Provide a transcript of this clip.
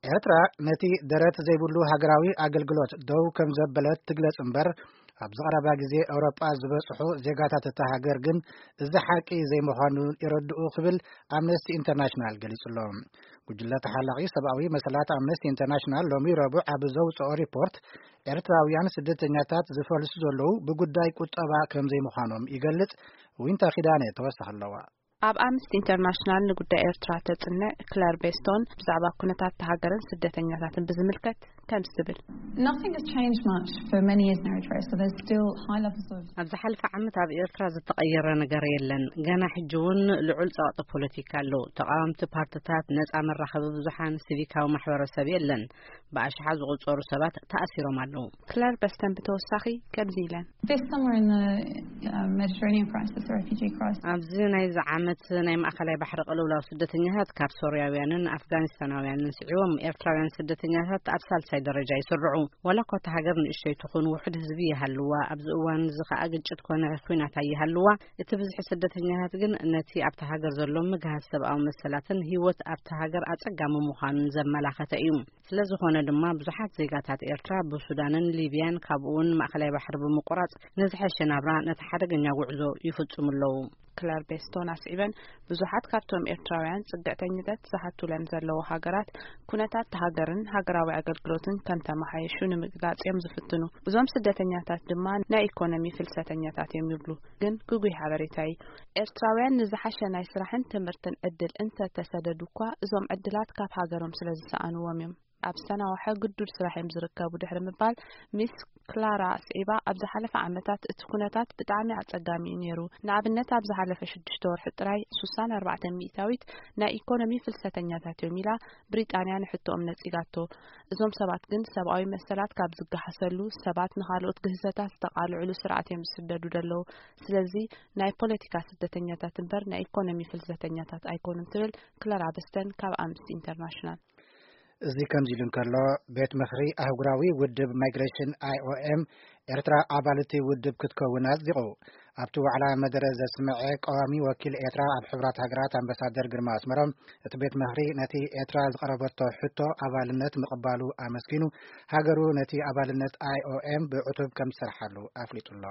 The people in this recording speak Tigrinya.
ኤርትራ ነቲ ደረት ዘይብሉ ሃገራዊ ኣገልግሎት ደው ከም ዘበለት ትግለጽ እምበር፣ ኣብዚ ቀረባ ግዜ ኤውሮጳ ዝበጽሑ ዜጋታት እታ ሃገር ግን እዚ ሓቂ ዘይምዃኑ ይረድኡ ክብል ኣምነስቲ ኢንተርናሽናል ገሊጹ ኣሎ። ጉጅለ ተሓላቒ ሰብኣዊ መሰላት ኣምነስቲ ኢንተርናሽናል ሎሚ ረቡዕ ኣብ ዘውጽኦ ሪፖርት፣ ኤርትራውያን ስደተኛታት ዝፈልሱ ዘለዉ ብጉዳይ ቁጠባ ከም ዘይምዃኖም ይገልጽ። ዊንታ ኪዳነ ተወሳኺ ኣለዋ። ኣብ ኣምነስቲ ኢንተርናሽናል ንጉዳይ ኤርትራ ተጽንዕ ክለር ቤስቶን ብዛዕባ ኩነታት ሃገርን ስደተኛታትን ብዝምልከት ከምዚ ትብል። Nothing has changed much for many years in Eritrea, so there's still high levels of ኣብ ዝሓለፈ ዓመት ኣብ ኤርትራ ዝተቐየረ ነገር የለን። ገና ሕጂ እውን ልዑል ጸቕጢ ፖለቲካ ኣሎ። ተቓወምቲ ፓርትታት፣ ነጻ መራኸቢ ብዙሓን፣ ሲቪካዊ ማሕበረሰብ የለን። ብኣሽሓት ዝቑጸሩ ሰባት ተኣሲሮም ኣለዉ። ክለር በስተን ብተወሳኺ ከምዚ ኢለን። This summer in the uh, Mediterranean crisis, the refugee crisis. ኣብዚ ናይዚ ዓመት ናይ ማእከላይ ባሕሪ ቅልውላው ስደተኛታት ካብ ሶርያውያንን ኣፍጋኒስታናውያንን ስዒቦም፣ ኤርትራውያን ስደተኛታት ኣብ ሳልሳይ ደረጃ ይስርዑ። ዋላ እኳ እታ ሃገር ንእሽተይ ትኹን፣ ውሑድ ህዝቢ ይሃልዋ፣ ኣብዚ እዋን እዚ ከኣ ግጭት ኮነ ኲናት ኣይሃልዋ፣ እቲ ብዝሒ ስደተኛታት ግን ነቲ ኣብታ ሃገር ዘሎ ምግሃስ ሰብኣዊ መሰላትን ህይወት ኣብታ ሃገር ኣጸጋሚ ምዃኑን ዘመላኸተ እዩ። ስለ ዝኾነ ድማ ብዙሓት ዜጋታት ኤርትራ ብሱዳንን ሊብያን፣ ካብኡ እውን ማእከላይ ባሕሪ ብምቁራጽ፣ ንዝሐሸ ናብራ ነቲ ሓደገኛ ጉዕዞ ይፍጽሙ ኣለዉ። ክለር ቤስቶን ኣስዒበን፣ ብዙሓት ካብቶም ኤርትራውያን ጽግዕተኝነት ዝሓቱለን ዘለዉ ሃገራት፣ ኩነታት ሃገርን ሃገራዊ ኣገልግሎትን ከም ተመሓየሹ ንምግላጽ እዮም ዝፍትኑ። እዞም ስደተኛታት ድማ ናይ ኢኮኖሚ ፍልሰተኛታት እዮም ይብሉ። ግን ግጉይ ሓበሬታ እዩ። ኤርትራውያን ንዝሓሸ ናይ ስራሕን ትምህርትን ዕድል እንተ ተሰደዱ እኳ፣ እዞም ዕድላት ካብ ሃገሮም ስለ ዝሰኣንዎም እዮም ኣብ ዝተናውሐ ግዱድ ስራሕ እዮም ዝርከቡ ድሕሪ ምባል፣ ሚስ ክላራ ኣስዒባ፣ ኣብ ዝሓለፈ ዓመታት እቲ ኩነታት ብጣዕሚ ኣጸጋሚ እዩ ነይሩ። ንኣብነት፣ ኣብ ዝሓለፈ ሽዱሽተ ወርሒ ጥራይ ሱሳን ኣርባዕተን ሚእታዊት ናይ ኢኮኖሚ ፍልሰተኛታት እዮም ኢላ ብሪጣንያ ንሕቶኦም ነጺጋቶ። እዞም ሰባት ግን ሰብኣዊ መሰላት ካብ ዝገሃሰሉ፣ ሰባት ንኻልኦት ግህሰታት ዝተቓልዕሉ ስርዓት እዮም ዝስደዱ ዘለዉ። ስለዚ ናይ ፖለቲካ ስደተኛታት እምበር ናይ ኢኮኖሚ ፍልሰተኛታት ኣይኮኑን ትብል ክላራ በስተን ካብ ኣምነስቲ ኢንተርናሽናል። እዚ ከምዚ ኢሉ እንከሎ፣ ቤት ምኽሪ ኣህጉራዊ ውድብ ማይግሬሽን፣ ኣይኦኤም፣ ኤርትራ ኣባል እቲ ውድብ ክትከውን ኣጽዲቑ። ኣብቲ ዋዕላ መደረ ዘስምዐ ቀዋሚ ወኪል ኤርትራ ኣብ ሕቡራት ሃገራት ኣምባሳደር ግርማ ኣስመሮም፣ እቲ ቤት ምኽሪ ነቲ ኤርትራ ዝቐረበቶ ሕቶ ኣባልነት ምቕባሉ ኣመስጊኑ፣ ሃገሩ ነቲ ኣባልነት ኣይኦኤም ብዕቱብ ከም ትሰርሓሉ ኣፍሊጡ ኣሎ።